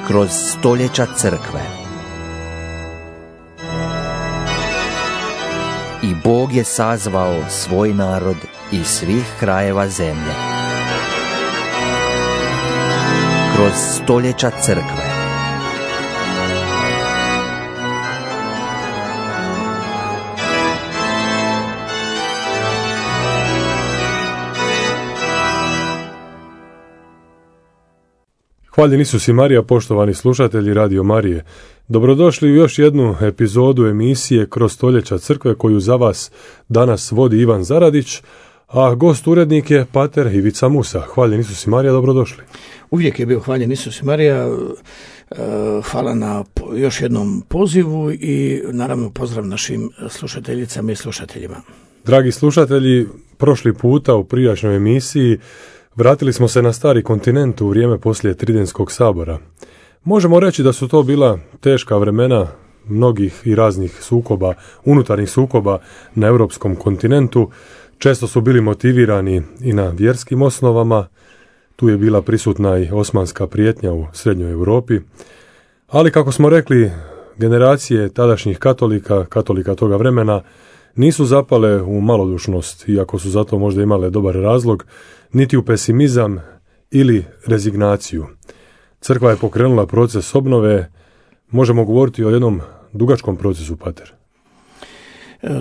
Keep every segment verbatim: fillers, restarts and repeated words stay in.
kroz stoljeća crkve. I Bog je sazvao svoj narod iz svih krajeva zemlje. Kroz stoljeća crkve. Hvaljen Isus i Marija, poštovani slušatelji Radio Marije. Dobrodošli u još jednu epizodu emisije Kroz stoljeća crkve koju za vas danas vodi Ivan Zaradić, a gost urednik je pater Ivica Musa. Hvaljen Isus i Marija, dobrodošli. Uvijek je bio hvaljen Isus i Marija. Hvala na još jednom pozivu i naravno pozdrav našim slušateljicama i slušateljima. Dragi slušatelji, prošli puta u prijašnjoj emisiji vratili smo se na stari kontinent u vrijeme poslije Tridentskog sabora. Možemo reći da su to bila teška vremena mnogih i raznih sukoba, unutarnjih sukoba na europskom kontinentu. Često su bili motivirani i na vjerskim osnovama. Tu je bila prisutna i osmanska prijetnja u srednjoj Europi. Ali kako smo rekli, generacije tadašnjih katolika, katolika toga vremena, nisu zapale u malodušnost, iako su zato možda imale dobar razlog, niti u pesimizam ili rezignaciju. Crkva je pokrenula proces obnove. Možemo govoriti o jednom dugačkom procesu, pater.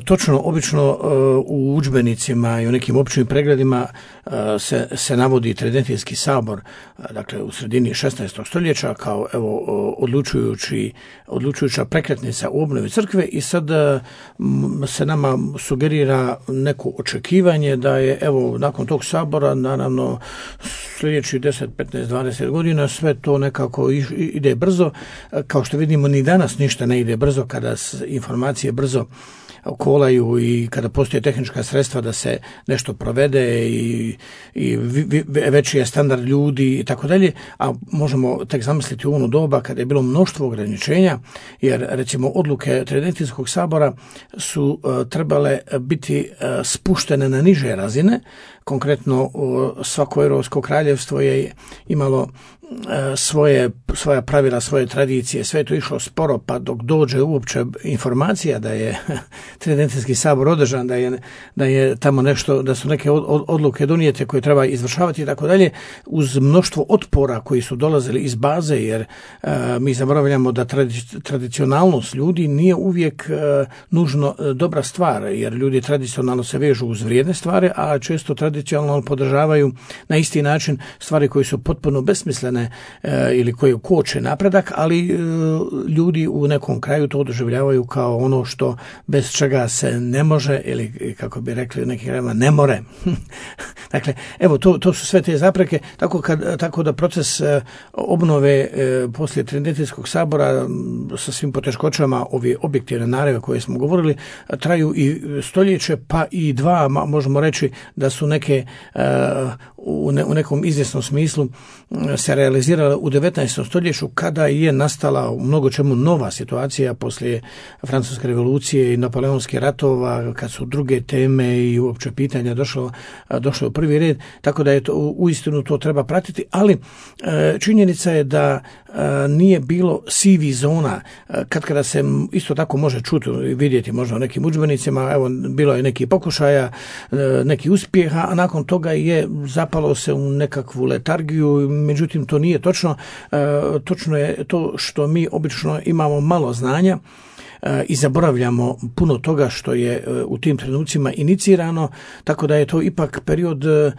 Točno, obično u udžbenicima i u nekim općim pregledima se, se navodi Tridentijski sabor, dakle u sredini šesnaestog stoljeća kao evo odlučujući, odlučujuća prekretnica u obnovi crkve i sad se nama sugerira neko očekivanje da je evo nakon tog sabora, naravno sljedeći deset, petnaest, dvadeset godina sve to nekako ide brzo. Kao što vidimo, ni danas ništa ne ide brzo kada informacije brzo kolaju i kada postoje tehnička sredstva da se nešto provede i, i veći je standard ljudi i tako dalje, a možemo tek zamisliti u ono doba kada je bilo mnoštvo ograničenja, jer recimo odluke Tridentijskog sabora su uh, trebale biti uh, spuštene na niže razine. Konkretno uh, svako europsko kraljevstvo je imalo svoje, svoja pravila, svoje tradicije, sve je to išlo sporo, pa dok dođe uopće informacija da je Tridentijski sabor održan, da je, da je tamo nešto, da su neke odluke donijete koje treba izvršavati i tako dalje, uz mnoštvo otpora koji su dolazili iz baze, jer uh, mi zaboravljamo da tradi- tradicionalnost ljudi nije uvijek uh, nužno uh, dobra stvar, jer ljudi tradicionalno se vežu uz vrijedne stvari, a često tradicionalno podržavaju na isti način stvari koje su potpuno besmislene ili koje koče napredak, ali ljudi u nekom kraju to doživljavaju kao ono što bez čega se ne može, ili kako bi rekli u nekim krajevima ne more. Dakle, evo to, to su sve te zapreke, tako, kad, tako da proces obnove poslije Tridentijskog sabora sa svim poteškoćama, ove objektivne naravi koje smo govorili, traju i stoljeće, pa i dva, možemo reći da su neke u, ne, u nekom izvjesnom smislu se realizirala u devetnaestom stoljeću, kada je nastala u mnogo čemu nova situacija poslije Francuske revolucije i Napoleonskih ratova, kad su druge teme i uopće pitanja došlo, došlo u prvi red, tako da je to, uistinu to treba pratiti, ali činjenica je da nije bilo sivi zona, kad kada se isto tako može čuti i vidjeti možda u nekim udžbenicima, evo bilo je neki pokušaja, neki uspjeha, a nakon toga je zapalo se u nekakvu letargiju. Međutim, to nije točno. E, točno je to što mi obično imamo malo znanja e, i zaboravljamo puno toga što je e, u tim trenucima inicirano, tako da je to ipak period e,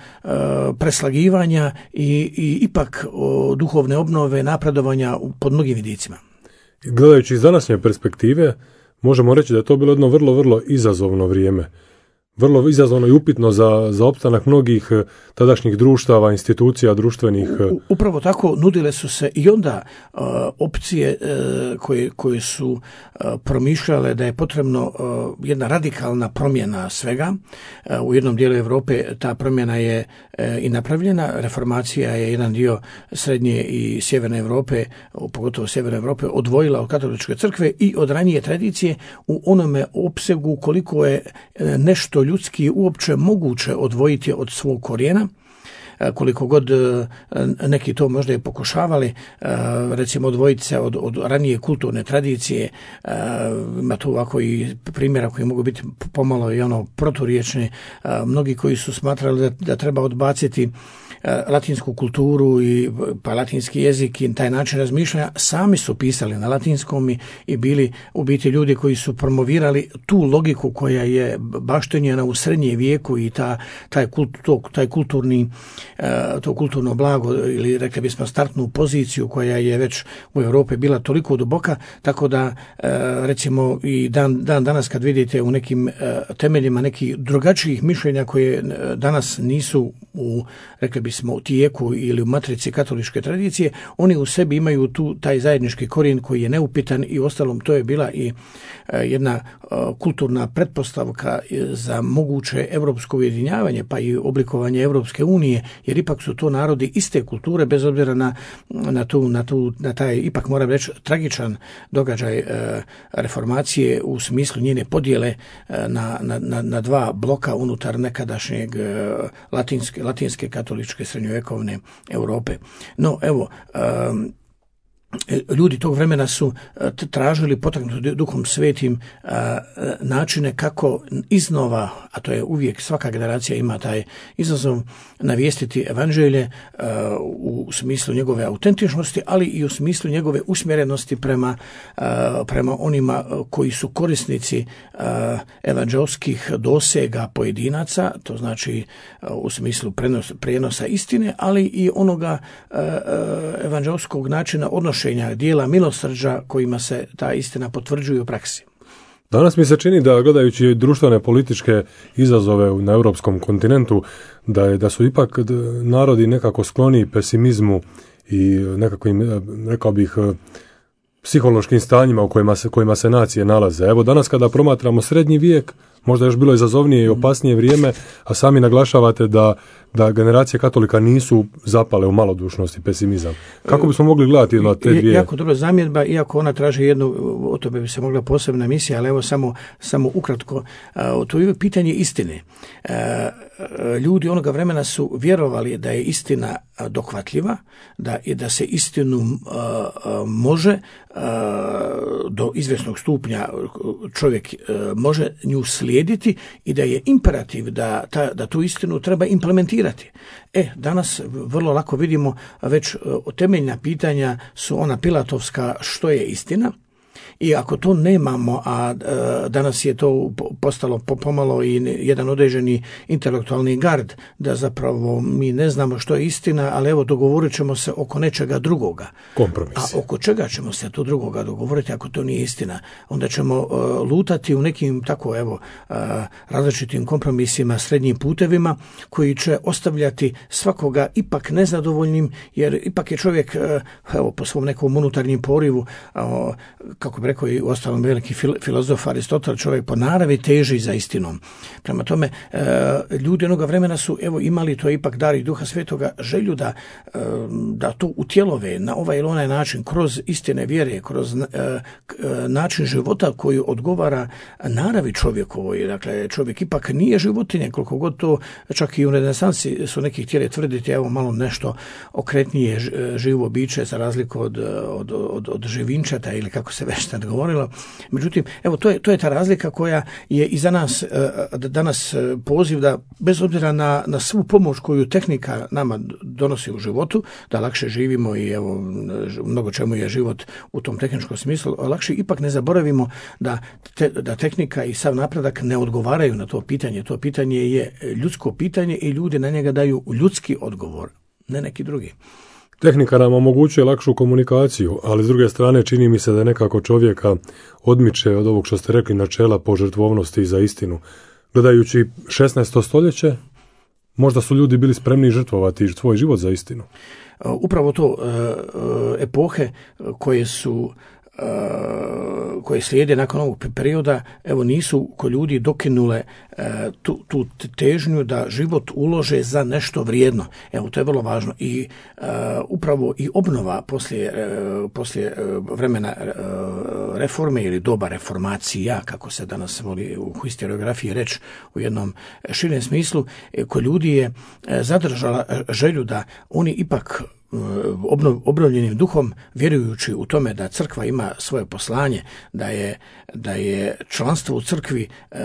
preslagivanja i, i ipak o, duhovne obnove, napredovanja pod mnogim vidicima. Gledajući iz današnje perspektive, možemo reći da je to bilo jedno vrlo, vrlo izazovno vrijeme. Vrlo izazovno i upitno za, za opstanak mnogih tadašnjih društava, institucija, društvenih. U, upravo tako nudile su se i onda uh, opcije uh, koje, koje su uh, promišljale da je potrebno uh, jedna radikalna promjena svega. Uh, u jednom dijelu Europe ta promjena je uh, i napravljena. Reformacija je jedan dio srednje i sjeverne Europe, pogotovo sjeverne Europe, odvojila od katoličke crkve i od ranije tradicije u onome opsegu koliko je nešto ljudski uopće moguće odvojiti od svog korijena. koliko god neki to možda i pokušavali, recimo odvojiti se od, od ranije kulturne tradicije, ima tu ovako i primjera koji mogu biti pomalo i ono proturječni, mnogi koji su smatrali da, da treba odbaciti latinsku kulturu i pa latinski jezik i taj način razmišljanja, sami su pisali na latinskom i, i bili u biti ljudi koji su promovirali tu logiku koja je baštenjena u srednje vijeku i ta, taj, kult, to, taj kulturni, to kulturno blago ili rekli bismo startnu poziciju koja je već u Europi bila toliko duboka, tako da recimo i dan, dan danas kad vidite u nekim temeljima nekih drugačijih mišljenja koje danas nisu u, rekli bismo, u tijeku ili u matrici katoličke tradicije, oni u sebi imaju tu taj zajednički korijen koji je neupitan i ostalom to je bila i jedna kulturna pretpostavka za moguće europsko ujedinjavanje pa i oblikovanje Europske unije, jer ipak su to narodi iste kulture bez obzira na, na, tu, na, tu, na taj ipak moram reći tragičan događaj reformacije u smislu njene podjele na, na, na dva bloka unutar nekadašnjeg latinske, latinske katoličke srednjovjekovne Europe. No evo, um, ljudi tog vremena su tražili potaknuti Duhom Svetim načine kako iznova, a to je uvijek svaka generacija ima taj izazov, navijestiti evanđelje u smislu njegove autentičnosti, ali i u smislu njegove usmjerenosti prema, prema onima koji su korisnici evanđelskih dosega pojedinaca, to znači u smislu prenos, prijenosa istine, ali i onoga evanđelskog načina odnošenja dijela milosrđa kojima se ta istina potvrđuje u praksi. Danas mi se čini da gledajući društvene političke izazove na europskom kontinentu, da, je, da su ipak narodi nekako skloni pesimizmu i nekakvim, rekao bih, psihološkim stanjima u kojima se, kojima se nacije nalaze. Evo danas kada promatramo srednji vijek, možda još bilo izazovnije i opasnije vrijeme, a sami naglašavate da, da generacije katolika nisu zapale u malodušnost i pesimizam. Kako bismo mogli gledati na te dvije? Jako dobra zamjedba, iako ona traži jednu, o tome bi se mogla posebna emisija, ali evo samo, samo ukratko, to je pitanje istine. Ljudi onoga vremena su vjerovali da je istina dohvatljiva, da, i da se istinu može do izvjesnog stupnja čovjek može nju slijediti i da je imperativ da, ta, da tu istinu treba implementirati. E, danas vrlo lako vidimo već temeljna pitanja su ona pilatovska što je istina. I ako to nemamo, a danas je to postalo pomalo i jedan određeni intelektualni gard, da zapravo mi ne znamo što je istina, ali evo dogovorit ćemo se oko nečega drugoga. Kompromis. A oko čega ćemo se to drugoga dogovoriti ako to nije istina? Onda ćemo uh, lutati u nekim tako evo uh, različitim kompromisima, srednjim putevima koji će ostavljati svakoga ipak nezadovoljnim, jer ipak je čovjek uh, evo po svom nekom unutarnjem porivu, uh, kako bi rekao i u ostalom veliki filozof Aristotel, čovjek po naravi teži za istinom. Prema tome, e, ljudi onoga vremena su evo imali, to je ipak dar i Duha Svetoga, želju da, e, da to utjelove na ovaj ili onaj način, kroz istine vjere, kroz e, način života koji odgovara naravi čovjekovoj. Dakle, čovjek ipak nije životinje, koliko god to čak i u renesansi su neki htjeli tvrditi, evo malo nešto okretnije živo biće za razliku od, od, od, od živinčata ili kako se već tad govorilo. Međutim, evo to je, to je ta razlika koja je i za nas danas poziv da bez obzira na, na svu pomoć koju tehnika nama donosi u životu, da lakše živimo i evo mnogo čemu je život u tom tehničkom smislu lakše, ipak ne zaboravimo da, te, da tehnika i sav napredak ne odgovaraju na to pitanje. To pitanje je ljudsko pitanje i ljudi na njega daju ljudski odgovor, ne neki drugi. Tehnika nam omogućuje lakšu komunikaciju, ali s druge strane čini mi se da nekako čovjeka odmiče od ovog što ste rekli načela požrtvovnosti za istinu. Gledajući šesnaesto stoljeće, možda su ljudi bili spremni žrtvovati svoj život za istinu. Upravo to epohe koje su koje slijede nakon ovog perioda, evo nisu kod ljudi dokinule tu, tu težnju da život ulože za nešto vrijedno. Evo, to je vrlo važno. I uh, upravo i obnova poslije, uh, poslije uh, vremena uh, reforme ili doba reformacija, kako se danas voli u historiografiji reći u jednom širem smislu, kod ljudi je zadržala želju da oni ipak Obnov, obnovljenim duhom, vjerujući u tome da crkva ima svoje poslanje, da je, da je članstvo u crkvi e,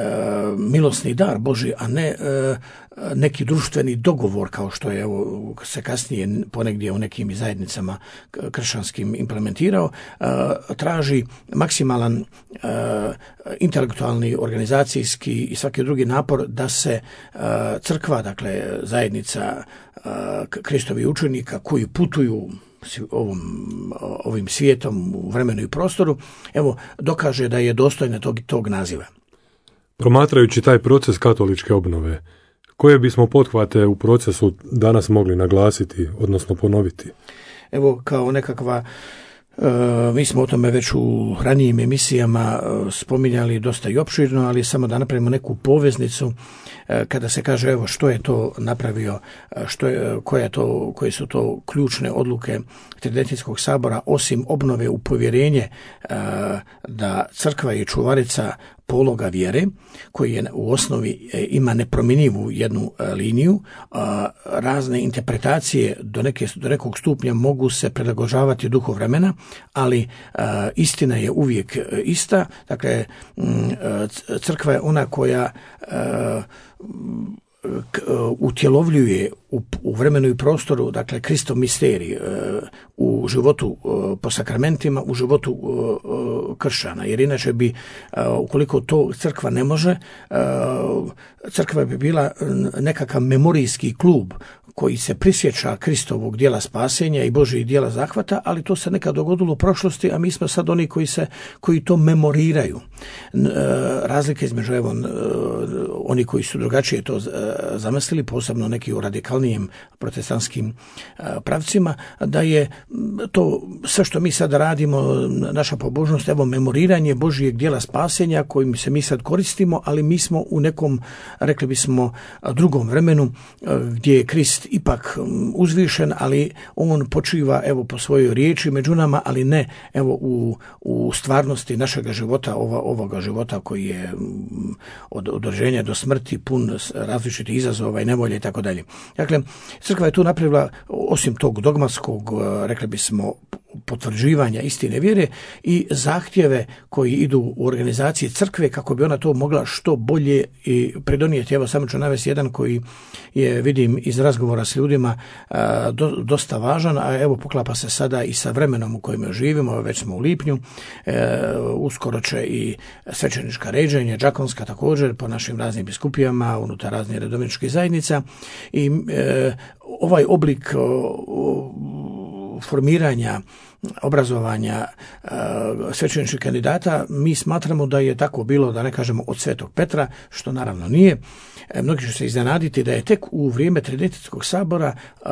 milosni dar Božji, a ne e, neki društveni dogovor, kao što je evo, se kasnije ponegdje u nekim zajednicama kršćanskim implementirao, e, traži maksimalan e, intelektualni, organizacijski i svaki drugi napor da se e, crkva, dakle zajednica Kristovi učenika koji putuju ovom, ovim svijetom u vremenu i prostoru, evo, dokaže da je dostojna tog, tog naziva. Promatrajući taj proces katoličke obnove, koje bismo pothvate u procesu danas mogli naglasiti, odnosno ponoviti? Evo, kao nekakva E, mi smo o tome već u ranijim emisijama e, spominjali dosta i opširno, ali samo da napravimo neku poveznicu e, kada se kaže evo što je to napravio, što je, koja to, koje su to ključne odluke Tridentinskog sabora, osim obnove u povjerenje e, da crkva je čuvarica pologa vjere, koji je u osnovi ima nepromjenjivu jednu liniju. Razne interpretacije do, neke, do nekog stupnja mogu se prilagođavati duhu vremena, ali istina je uvijek ista. Dakle, crkva je ona koja utjelovljuje u, u vremenu i prostoru, dakle, Kristov misterij u životu po sakramentima, u životu kršćana. Jer inače bi, ukoliko to crkva ne može, crkva bi bila nekakav memorijski klub koji se prisjeća Kristovog dijela spasenja i Božjih dijela zahvata, ali to se nekad dogodilo u prošlosti, a mi smo sad oni koji se koji to memoriraju. Razlike između evo oni koji su drugačije to zamislili, posebno neki u radikalnijim protestantskim pravcima, da je to sve što mi sad radimo, naša pobožnost, evo memoriranje Božjeg dijela spasenja kojim se mi sad koristimo, ali mi smo u nekom, rekli bismo, drugom vremenu gdje je Krist ipak uzvišen, ali on počiva evo po svojoj riječi među nama, ali ne evo u, u stvarnosti našega života, ova, ovoga života koji je od, od rođenja do smrti pun različitih izazova i nevolje i tako dalje. Dakle, crkva je tu napravila, osim tog dogmatskog, rekli bismo, potvrđivanja istine vjere i zahtjeve koji idu u organizaciji crkve kako bi ona to mogla što bolje i pridonijeti. Evo, samo ću navesti jedan koji je, vidim iz razgovora s ljudima, do, dosta važan, a evo poklapa se sada i sa vremenom u kojem živimo, već smo u lipnju, e, uskoro će i svećenička ređenja, džakonska također, po našim raznim biskupijama, unutar raznih redovničkih zajednica i e, ovaj oblik o, formiranja, obrazovanja uh, svećeničkih kandidata, mi smatramo da je tako bilo, da ne kažemo od Svetog Petra, što naravno nije. E, mnogi će se iznenaditi da je tek u vrijeme Tridentinskog sabora uh,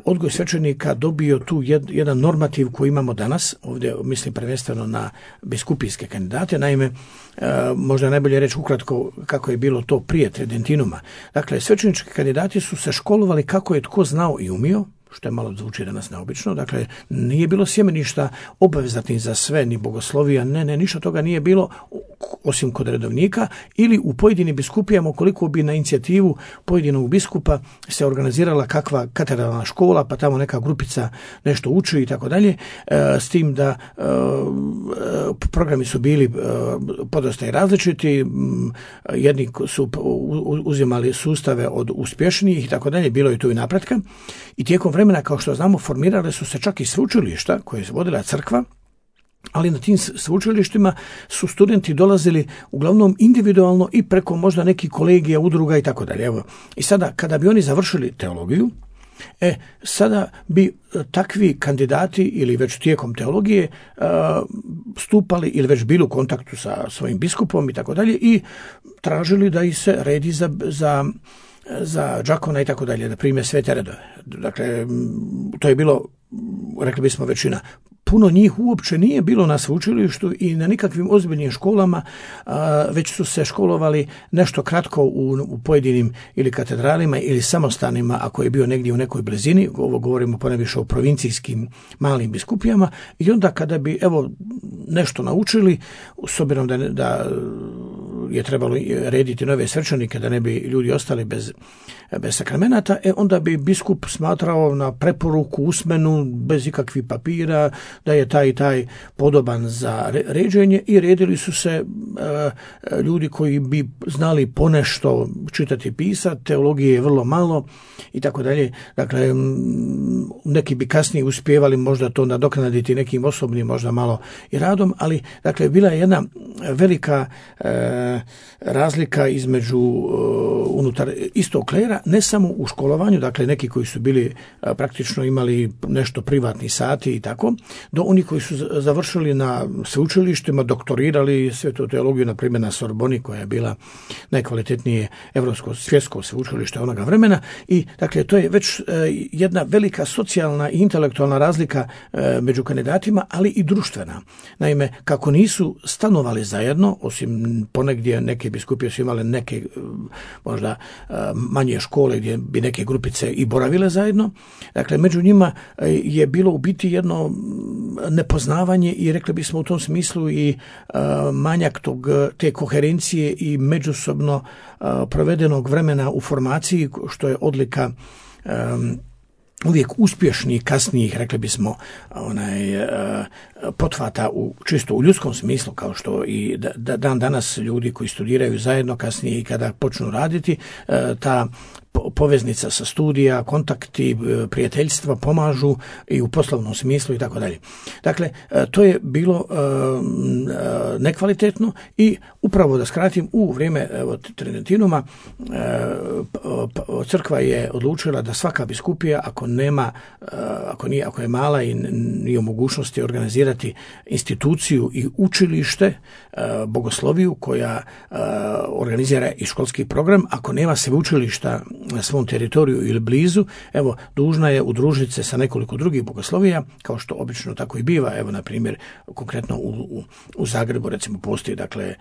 odgoj svećenika dobio tu jed, jedan normativ koji imamo danas. Ovdje mislim prvenstveno na biskupijske kandidate. Naime, uh, možda je najbolje reći ukratko kako je bilo to prije Tridentinuma. Dakle, svećenički kandidati su se školovali kako je tko znao i umio, što je malo zvuči danas neobično. Dakle, nije bilo sjemeništa obvezatnih za sve, ni bogoslovija, ne, ne, ništa toga nije bilo, osim kod redovnika, ili u pojedinim biskupijama, ukoliko bi na inicijativu pojedinog biskupa se organizirala kakva katedralna škola, pa tamo neka grupica nešto uči i tako dalje, s tim da e, programi su bili e, podosta i različiti, jedni su uzimali sustave od uspješnijih i tako dalje, bilo je tu i napretka, i tijekom vremena, kao što znamo, formirale su se čak i sveučilišta koje je vodila crkva, ali na tim sveučilištima su studenti dolazili uglavnom individualno i preko možda nekih kolegija, udruga i tako dalje. Evo, i sada kada bi oni završili teologiju, e, sada bi takvi kandidati ili već tijekom teologije uh, stupali ili već bili u kontaktu sa svojim biskupom i tako dalje i tražili da ih se redi za, za za džakona i tako dalje, da prime svete redove. Dakle, to je bilo, rekli bismo, većina. puno njih uopće nije bilo na sveučilištu i na nikakvim ozbiljnim školama, već su se školovali nešto kratko u, u pojedinim ili katedralima ili samostanima, ako je bio negdje u nekoj blizini, ovo govorimo ponajviše o provincijskim malim biskupijama, i onda kada bi evo nešto naučili, s obzirom da, da je trebalo rediti nove svečanike da ne bi ljudi ostali bez, bez sakramenata, e onda bi biskup smatrao na preporuku usmenu, bez ikakvih papira, da je taj i taj podoban za ređenje, i redili su se e, ljudi koji bi znali ponešto čitati i pisati, teologije je vrlo malo i tako dalje. Dakle, neki bi kasnije uspjevali možda to nadoknaditi nekim osobnim, možda malo i radom, ali dakle bila je jedna velika e, razlika između uh, unutar istog klera, ne samo u školovanju, dakle neki koji su bili uh, praktično imali nešto privatni sati i tako, do oni koji su završili na sveučilištima, doktorirali svetu teologiju, na primjer na Sorboni, koja je bila najkvalitetnije evropsko svjetsko sveučilište onoga vremena, i dakle to je već uh, jedna velika socijalna i intelektualna razlika uh, među kandidatima, ali i društvena. Naime, kako nisu stanovali zajedno, osim ponegdje neke biskupije su imale neke možda manje škole gdje bi neke grupice i boravile zajedno. Dakle, među njima je bilo u biti jedno nepoznavanje i rekli bismo u tom smislu i manjak tog, te koherencije i međusobno provedenog vremena u formaciji, što je odlika uvijek uspješnih, kasnijih, rekli bismo, onaj, pothvata u, čisto u ljudskom smislu, kao što i da, dan danas ljudi koji studiraju zajedno kasnije i kada počnu raditi, ta poveznica sa studija, kontakti, prijateljstva pomažu i u poslovnom smislu i tako dalje. Dakle, to je bilo nekvalitetno i upravo da skratim, u vrijeme Tridentinuma crkva je odlučila da svaka biskupija, ako nema, ako nije, ako je mala i nije u mogućnosti organizirati instituciju i učilište, bogosloviju koja organizira i školski program, ako nema sveučilišta na svom teritoriju ili blizu, evo, dužna je udružiti se sa nekoliko drugih bogoslovija, kao što obično tako i biva. Evo, na primjer, konkretno u, u, u Zagrebu, recimo, postoji, dakle,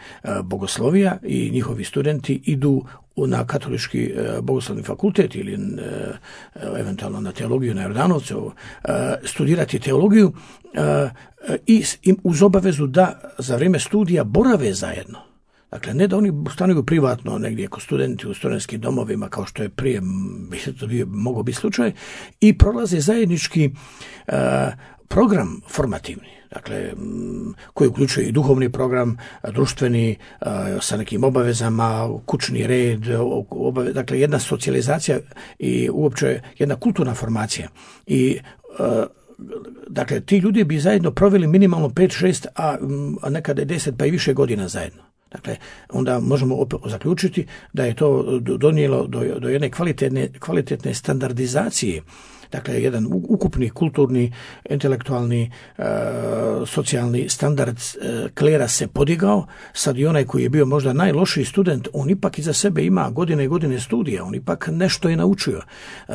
bogoslovija i njihovi studenti idu na katolički bogoslovni fakultet ili eventualno na teologiju na Jordanovcu, studirati teologiju i uz obavezu da za vrijeme studija borave zajedno. Dakle, ne da oni stanuju privatno negdje kod studenti u studentskim domovima, kao što je prije mogao biti slučaj, i prolaze zajednički uh, program formativni, dakle, koji uključuje i duhovni program, društveni, uh, sa nekim obavezama, kućni red, obave, dakle, jedna socijalizacija i uopće jedna kulturna formacija. I uh, dakle, ti ljudi bi zajedno proveli minimalno pet šest, a, a nekada deset pa i više godina zajedno. Dakle, onda možemo opet zaključiti da je to donijelo do, do jedne kvalitetne, kvalitetne standardizacije. Dakle, jedan ukupni kulturni, intelektualni, e, socijalni standard e, klera se podigao. Sad i onaj koji je bio možda najlošiji student, on ipak iza sebe ima godine i godine studija, on ipak nešto je naučio. E,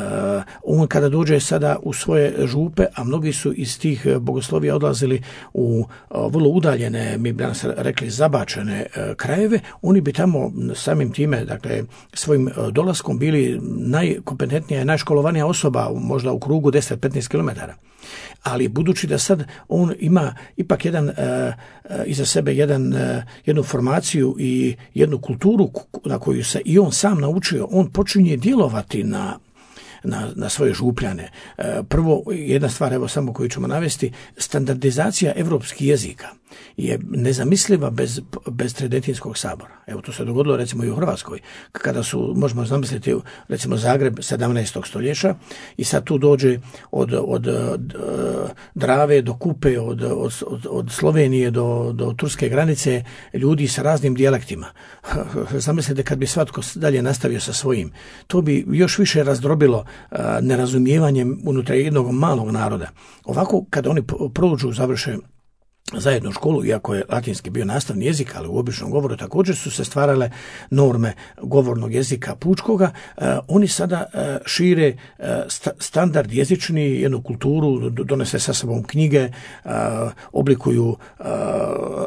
on kada dođe sada u svoje župe, a mnogi su iz tih bogoslovija odlazili u e, vrlo udaljene, mi bi danas rekli zabačene e, krajeve, oni bi tamo samim time, dakle, svojim dolaskom bili najkompetentnija i najškolovanija osoba, možda u krugu deset do petnaest kilometara. Ali budući da sad on ima ipak jedan uh, uh, iza sebe jedan, uh, jednu formaciju i jednu kulturu na koju se i on sam naučio, on počinje djelovati na Na, na svoje župljane. E, prvo, jedna stvar, evo samo koju ćemo navesti, standardizacija evropskih jezika je nezamisliva bez, bez Tridentinskog sabora. Evo, to se dogodilo recimo i u Hrvatskoj, kada su, možemo zamisliti, recimo Zagreb sedamnaestog stoljeća i sad tu dođe od, od, od Drave do Kupe, od, od, od, od Slovenije do, do turske granice, ljudi sa raznim dijalektima. Zamislite kad bi svatko dalje nastavio sa svojim. To bi još više razdrobilo nerazumijevanjem unutar jednog malog naroda. Ovako, kada oni prođu, završe zajedno u školu, iako je latinski bio nastavni jezik, ali u običnom govoru također su se stvarale norme govornog jezika pučkoga. E, oni sada e, šire e, sta, standard jezični, jednu kulturu, donose sa sobom knjige, e, oblikuju e,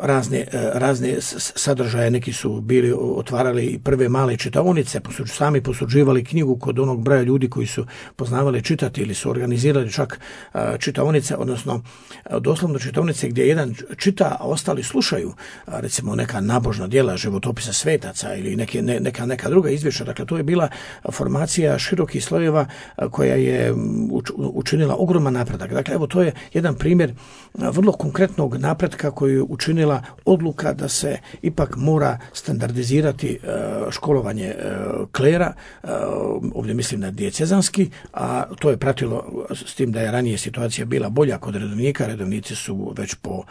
razne, e, razne sadržaje. Neki su bili otvarali prve male čitaonice, posuđ, sami posuđivali knjigu kod onog broja ljudi koji su poznavali čitati, ili su organizirali čak e, čitaonice, odnosno e, doslovno čitaonice gdje jedan čita, a ostali slušaju, recimo neka nabožna djela, životopisa svetaca ili neke, ne, neka, neka druga izvješća. Dakle, to je bila formacija širokih slojeva koja je učinila ogroman napredak. Dakle, evo, to je jedan primjer vrlo konkretnog napretka koju je učinila odluka da se ipak mora standardizirati školovanje klera, ovdje mislim na dijecezanski, a to je pratilo s tim da je ranije situacija bila bolja kod redovnika. Redovnici su već po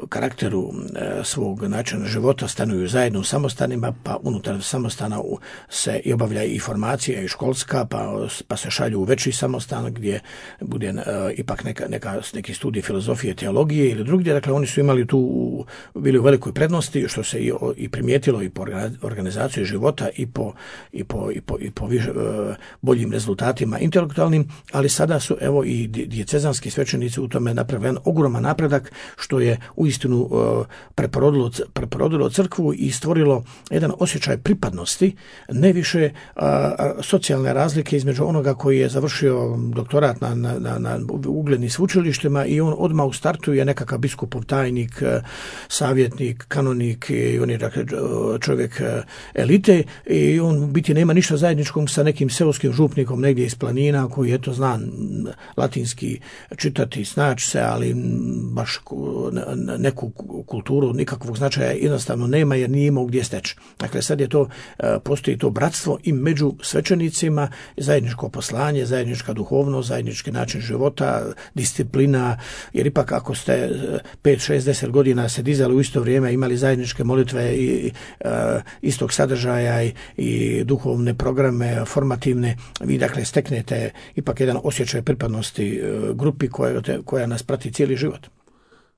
karakteru svog načina života stanuju zajedno u samostanima, pa unutar samostana se i obavlja i formacija i školska, pa, pa se šalju u veći samostan gdje bude uh, ipak neka, neka, neki studij filozofije, teologije ili drugdje. Dakle, oni su imali tu, bili u velikoj prednosti, što se i, i primijetilo i po organizaciji života i po, i po, i po, i po više, uh, boljim rezultatima intelektualnim, ali sada su evo i dijecezanski svećenici u tome napravili ogroman napredak, što je uistinu uh, preporodilo, preporodilo crkvu i stvorilo jedan osjećaj pripadnosti, ne više uh, socijalne razlike između onoga koji je završio doktorat na, na, na, na uglednim sveučilištima i on odmah u startu je nekakav biskupov tajnik, uh, savjetnik, kanonik i on je dakle, čovjek uh, elite i on biti nema ništa zajedničkog sa nekim seoskim župnikom negdje iz planina koji eto zna latinski čitati, snaći se, ali baš neku kulturu nikakvog značaja jednostavno nema jer nije imao gdje steći. Dakle, sad je to, postoji to bratstvo i među svećenicima, zajedničko poslanje, zajednička duhovnost, zajednički način života, disciplina, jer ipak ako ste pet, šest, deset godina se dizali u isto vrijeme, imali zajedničke molitve i uh, istog sadržaja i, i duhovne programe, formativne, vi dakle steknete ipak jedan osjećaj pripadnosti uh, grupi koja, koja nas prati cijeli život.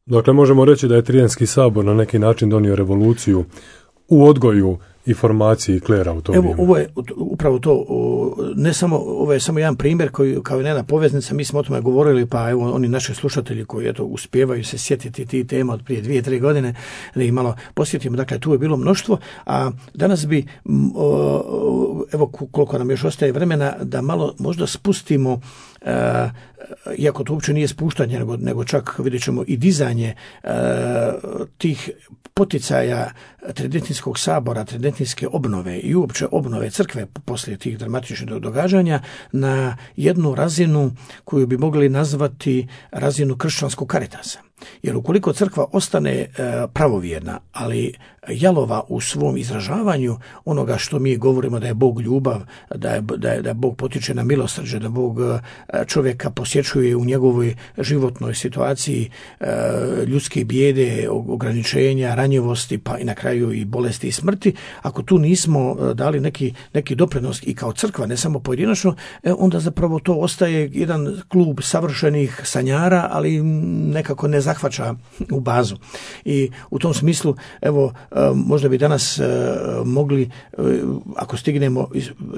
Dakle, možemo reći da je Tridenski sabor na neki način donio revoluciju u odgoju i formaciji klera u to Evo, vrijeme. Ovo je upravo to, ne samo, ovo je samo jedan primjer koji kao jedna poveznica, mi smo o tome govorili, pa evo oni naši slušatelji koji eto uspijevaju se sjetiti ti tema od prije dvije, tri godine, da ih malo posjetimo, dakle tu je bilo mnoštvo, a danas bi, evo koliko nam još ostaje vremena, da malo možda spustimo, uh, iako to uopće nije spuštanje, nego, nego čak vidjet ćemo i dizanje uh, tih poticaja Tridentinskog sabora, Tridentinske obnove i uopće obnove crkve poslije tih dramatičnih događanja na jednu razinu koju bi mogli nazvati razinu kršćanskog karitasa. Jer ukoliko crkva ostane e, pravovjerna, ali jalova u svom izražavanju onoga što mi govorimo da je Bog ljubav, da je, da je, da Bog potiče na milosrđe, da Bog čovjeka posjećuje u njegovoj životnoj situaciji e, ljudske bijede, ograničenja, ranjivosti, pa i na kraju i bolesti i smrti, ako tu nismo dali neki, neki doprinos i kao crkva, ne samo pojedinačno, e, onda zapravo to ostaje jedan klub savršenih sanjara, ali nekako ne zahvaća u bazu. I u tom smislu, evo, možda bi danas mogli, ako stignemo,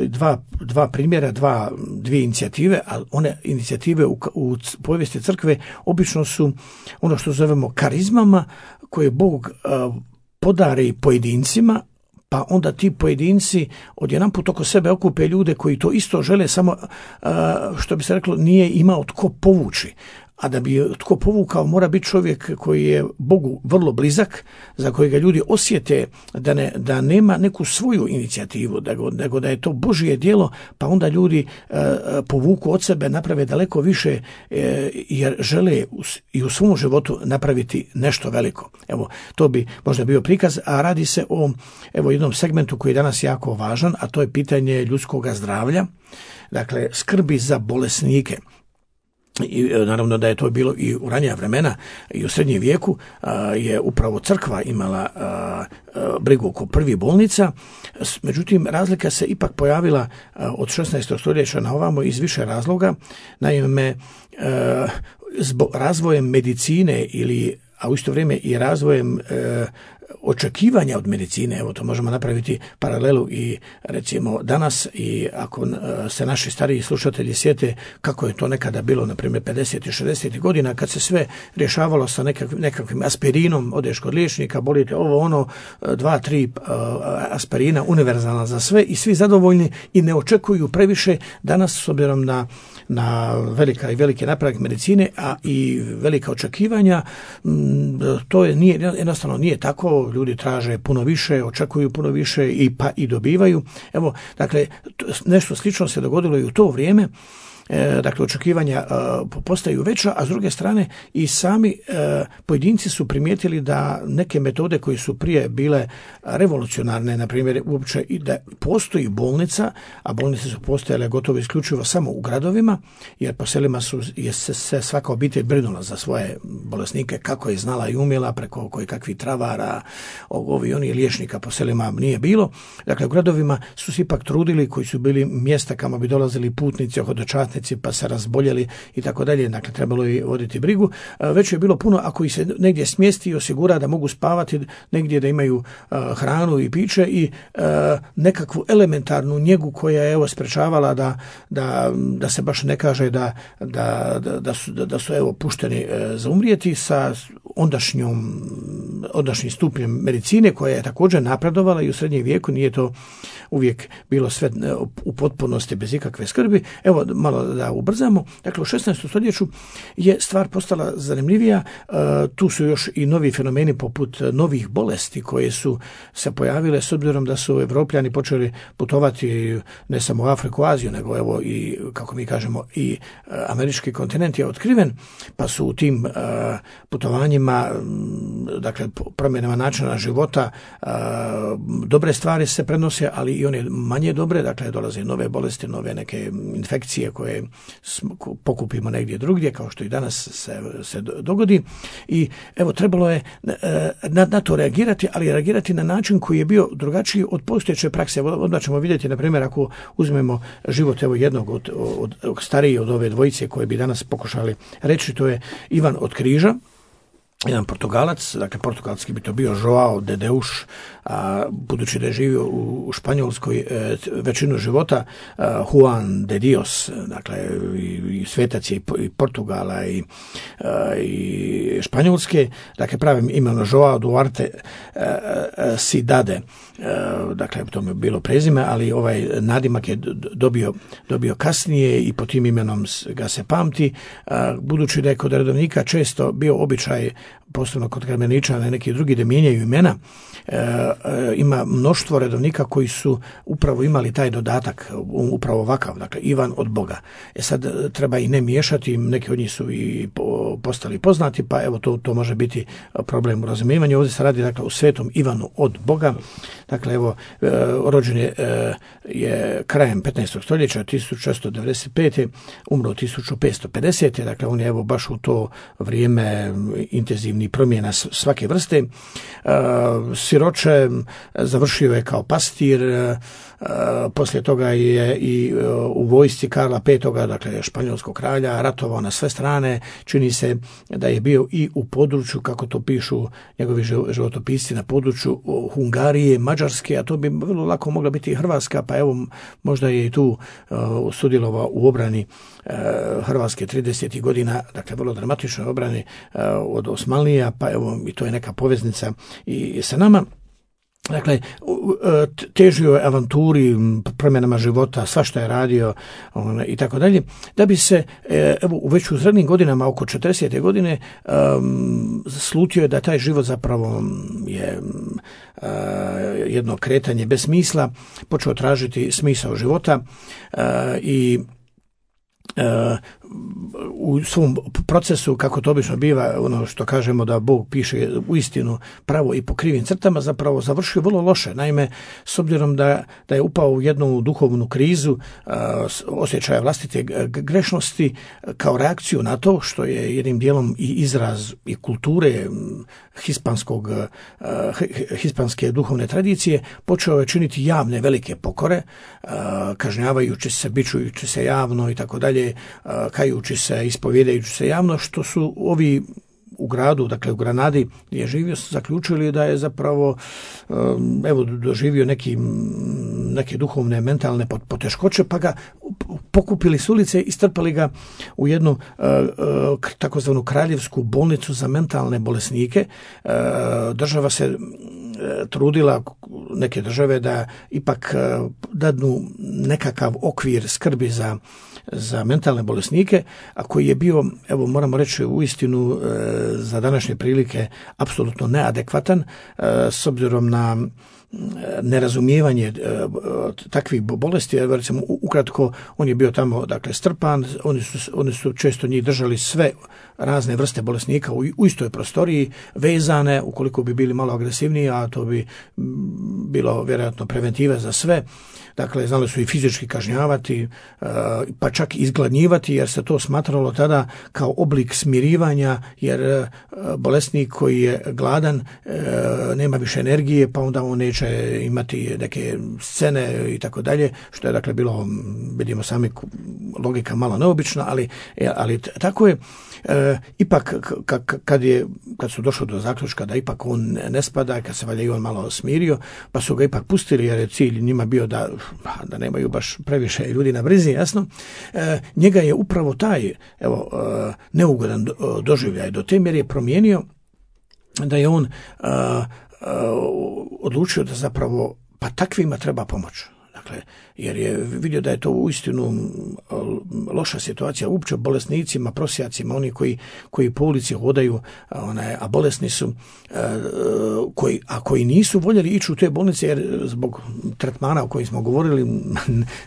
dva, dva primjera, dva, dvije inicijative, ali one inicijative u, u povijesti crkve obično su ono što zovemo karizmama koje Bog podari pojedincima, pa onda ti pojedinci odjedanput oko sebe okupe ljude koji to isto žele, samo što bi se reklo nije imao tko povući. A da bi tko povukao mora biti čovjek koji je Bogu vrlo blizak, za kojega ljudi osjete da, ne, da nema neku svoju inicijativu, nego da je to Božje djelo, pa onda ljudi e, povuku od sebe, naprave daleko više e, jer žele i u svom životu napraviti nešto veliko. Evo, to bi možda bio prikaz, a radi se o evo, jednom segmentu koji je danas jako važan, a to je pitanje ljudskog zdravlja, dakle skrbi za bolesnike. I naravno da je to bilo i u ranija vremena i u srednjem vijeku a, je upravo crkva imala a, a, brigu oko prvih bolnica, međutim razlika se ipak pojavila a, od šesnaestog stoljeća na ovamo iz više razloga. Naime, a, zbog razvojem medicine ili a u isto vrijeme i razvojem e, očekivanja od medicine. Evo, to možemo napraviti paralelu i recimo danas, i ako se naši stariji slušatelji sjete kako je to nekada bilo, na primjer pedesetih, šezdesetih godina, kad se sve rješavalo sa nekakvim, nekakvim aspirinom, odeš kod liječnika, bolite ovo, ono, dva, tri aspirina, univerzalna za sve i svi zadovoljni i ne očekuju previše. Danas, s obzirom na, na velika i velike napredak medicine, a i velika očekivanja, to je, nije, jednostavno nije tako. Ljudi traže puno više, očekuju puno više i pa i dobivaju. Evo, dakle, nešto slično se dogodilo i u to vrijeme. E, dakle, očekivanja e, postaju veća, a s druge strane i sami e, pojedinci su primijetili da neke metode koje su prije bile revolucionarne, na primjer uopće i da postoji bolnica, a bolnice su postojale gotovo isključivo samo u gradovima, jer po selima su je se, se svaka obitelj brinula za svoje bolesnike kako je znala i umjela, preko koji kakvih travara, ovi oni liječnika po selima nije bilo. Dakle, u gradovima su se ipak trudili, koji su bili mjesta kamo bi dolazili putnici, hodočasnici, pa se razboljeli i tako dalje, dakle trebalo je voditi brigu. Već je bilo puno, ako ih se negdje smjesti i osigura da mogu spavati, negdje da imaju uh, hranu i piće i uh, nekakvu elementarnu njegu koja je evo sprečavala da, da, da se baš ne kaže da, da, da, da, su, da, da su evo pušteni uh, za umrijeti sa ondašnjom, ondašnjim stupnjem medicine koja je također napredovala i u srednjem vijeku, nije to uvijek bilo sve u potpunosti bez ikakve skrbi. Evo, malo da ubrzamo. Dakle, u šesnaestom stoljeću je stvar postala zanimljivija. E, tu su još i novi fenomeni poput novih bolesti koje su se pojavile s obzirom da su Evropljani počeli putovati ne samo u Afriku, Aziju, nego evo i, kako mi kažemo, i američki kontinent je otkriven, pa su u tim e, putovanjima, dakle, promjenama načina života, e, dobre stvari se prenose, ali i one manje dobre, dakle, dolaze nove bolesti, nove neke infekcije koje pokupimo negdje drugdje, kao što i danas se, se dogodi. I evo, trebalo je na, na to reagirati, ali reagirati na način koji je bio drugačiji od postojeće prakse. Odmah ćemo vidjeti, na primjer, ako uzmemo život evo jednog od, od, od stariji od ove dvojice koje bi danas pokušali reći, to je Ivan od Križa, jedan Portugalac, dakle portugalski bi to bio Joao de Deus, a budući da je živio u Španjolskoj e, većinu života, a, Juan de Dios, dakle i, i svetac je i Portugala i, a, i Španjolske, dakle pravim imenom Joao Duarte a, a, Cidade, a, dakle to mi je bilo prezime, ali ovaj nadimak je dobio, dobio kasnije i po tim imenom ga se pamti, a, budući da je kod redovnika često bio običaj, posebno kod Karmeličana i neki drugi, da mijenjaju imena. E, e, ima mnoštvo redovnika koji su upravo imali taj dodatak, upravo ovakav, dakle Ivan od Boga. E sad treba i ne miješati, neki od njih su i po, postali poznati, pa evo to, to može biti problem u razumijevanju. Ovdje se radi, dakle, o svetom Ivanu od Boga. Dakle, evo, e, rođen je, e, je krajem petnaestog stoljeća, tisuću šesto devedeset pete umro tisuću petsto pedesete Dakle, on je evo baš u to vrijeme intenzivni promjena svake vrste. E, siroče, završio je kao pastir, e, poslije toga je i u vojsci Karla petog dakle španjolskog kralja, ratovao na sve strane. Čini se da je bio i u području, kako to pišu njegovi životopisci, na području Hungarije, Mađarske, a to bi vrlo lako mogla biti i Hrvatska, pa evo možda je i tu uh, sudjelovao u obrani uh, Hrvatske tridesetih godina, dakle vrlo dramatičnoj obrani uh, od Osmanlija, pa evo i to je neka poveznica i sa nama. Dakle, težio je avanturi, promjenama života, svašta je radio on, i tako dalje, da bi se evo, u već u srednjim godinama, oko četrdesete godine, um, slutio je da taj život zapravo je uh, jedno kretanje bez smisla, počeo tražiti smisao života uh, i Uh, u svom procesu, kako to obično biva, ono što kažemo da Bog piše u istinu pravo i po krivim crtama, zapravo završio vrlo loše. Naime, s obzirom da, da je upao u jednu duhovnu krizu, uh, osjećaja vlastite grešnosti, kao reakciju na to, što je jednim dijelom i izraz i kulture hispanskog, uh, hispanske duhovne tradicije, počeo je činiti javne velike pokore, uh, kažnjavajući se, bičujući se javno i tako dalje, kajući se, ispovjedajući se javno, što su ovi u gradu, dakle u Granadi gdje je živio, su zaključili da je zapravo evo doživio neki, neke duhovne, mentalne poteškoće, pa ga pokupili s ulice i strpali ga u jednu takozvanu kraljevsku bolnicu za mentalne bolesnike. Država se trudila, neke države, da ipak dadnu nekakav okvir skrbi za, za mentalne bolesnike, a koji je bio, evo moramo reći uistinu za današnje prilike apsolutno neadekvatan s obzirom na nerazumijevanje takvih bolesti. Recimo, ukratko, on je bio tamo, dakle, strpan, oni su, oni su često njih držali sve razne vrste bolesnika u, u istoj prostoriji, vezane, ukoliko bi bili malo agresivniji, a to bi bilo vjerojatno preventiva za sve. Dakle, znali su i fizički kažnjavati, pa čak izgladnjivati, jer se to smatralo tada kao oblik smirivanja, jer bolesnik koji je gladan nema više energije, pa onda on neće imati neke scene i tako dalje, što je dakle bilo, vidimo sami, logika malo neobična, ali, ali tako je. E, ipak kad, je, kad su došli do zaključka da ipak on ne spada, kad se valjda i on malo smirio, pa su ga ipak pustili, jer je cilj njima bio da, da nemaju baš previše ljudi na brizi, jasno. E, njega je upravo taj, evo, e, neugodan doživljaj do te mjere je promijenio da je on e, e, odlučio da zapravo pa takvima treba pomoć. Dakle, jer je vidio da je to uistinu loša situacija uopće bolesnicima, prosjacima, oni koji, koji po ulici hodaju, onaj, a bolesni su, koji, a koji nisu voljeli ići u te bolnice, jer zbog tretmana o kojim smo govorili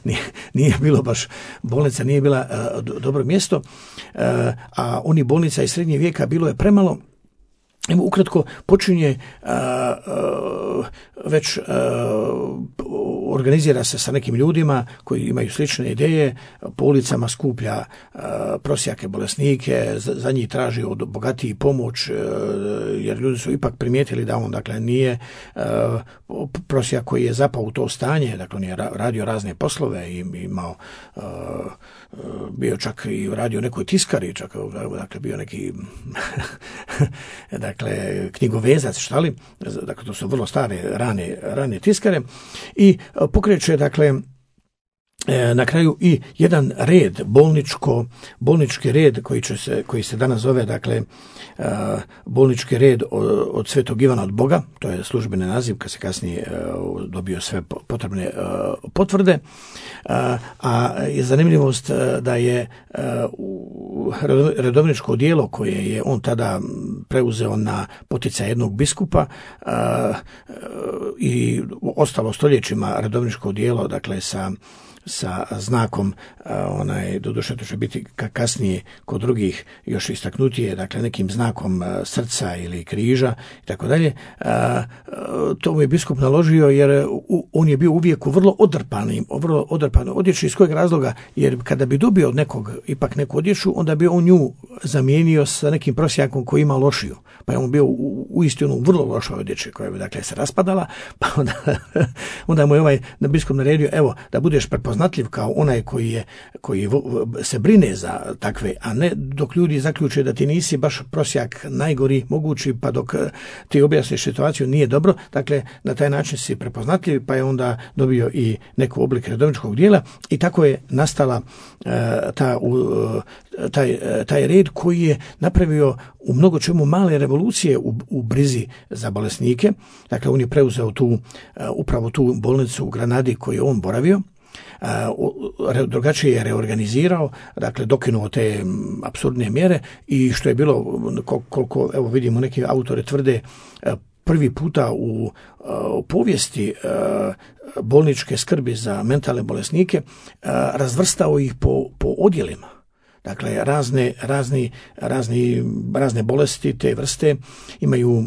nije, nije bilo baš, bolnica nije bila dobro mjesto, a oni bolnica iz srednjeg vijeka bilo je premalo. Evo, ukratko, počinje a, a, već a, organizira se sa nekim ljudima koji imaju slične ideje, po ulicama skuplja a, prosjake bolesnike, za, za njih traži od bogatiji pomoć, a, jer ljudi su ipak primijetili da on, dakle, nije a, prosjak koji je zapao u to stanje, dakle on je radio razne poslove i imao, a, bio čak i radio nekoj tiskari, čak, dakle, bio neki dakle, knjigovezac, šta li, dakle, to su vrlo stare, rane, rane tiskare, i pokreće, dakle, na kraju i jedan red, bolničko, bolnički red koji, će se, koji se danas zove, dakle, bolnički red od, od Svetog Ivana od Boga, to je službeni naziv, kad se kasnije dobio sve potrebne potvrde, a je zanimljivost da je redovničko odijelo koje je on tada preuzeo na poticaj jednog biskupa i ostalo stoljećima redovničko odijelo, dakle, sa sa znakom, onaj, doduše to će biti kasnije kod drugih još istaknutije, dakle nekim znakom srca ili križa i tako dalje. To mu je biskup naložio, jer on je bio uvijek u vrlo odrpanim, vrlo odrpanoj odjeći. Iz kojeg razloga? Jer kada bi dobio od nekog ipak neku odjeću, onda bi on nju zamijenio sa nekim prosjakom koji ima lošiju. Pa je on bio u, u istinu vrlo lošoj odjeći koja bi, dakle, se raspadala, pa onda, onda mu je ovaj biskup naredio, evo, da budeš prepoznatljiv kao onaj koji je, koji se brine za takve, a ne dok ljudi zaključe da ti nisi baš prosjak najgori mogući, pa dok ti objasniš situaciju nije dobro. Dakle, na taj način si prepoznatljiv, pa je onda dobio i neku oblik redovničkog dijela i tako je nastala uh, ta, uh, taj, taj red koji je napravio u mnogo čemu male revolucije u, u brizi za bolesnike. Dakle, on je preuzeo tu, uh, upravo tu bolnicu u Granadi koju je on boravio. Uh, drugačije je reorganizirao, dakle dokinuo te apsurdne mjere i što je bilo, kol, koliko evo vidimo neki autori tvrde, uh, prvi puta u, uh, u povijesti uh, bolničke skrbi za mentalne bolesnike uh, razvrstao ih po, po odjelima. Dakle, razne, razni, razni, razne bolesti te vrste imaju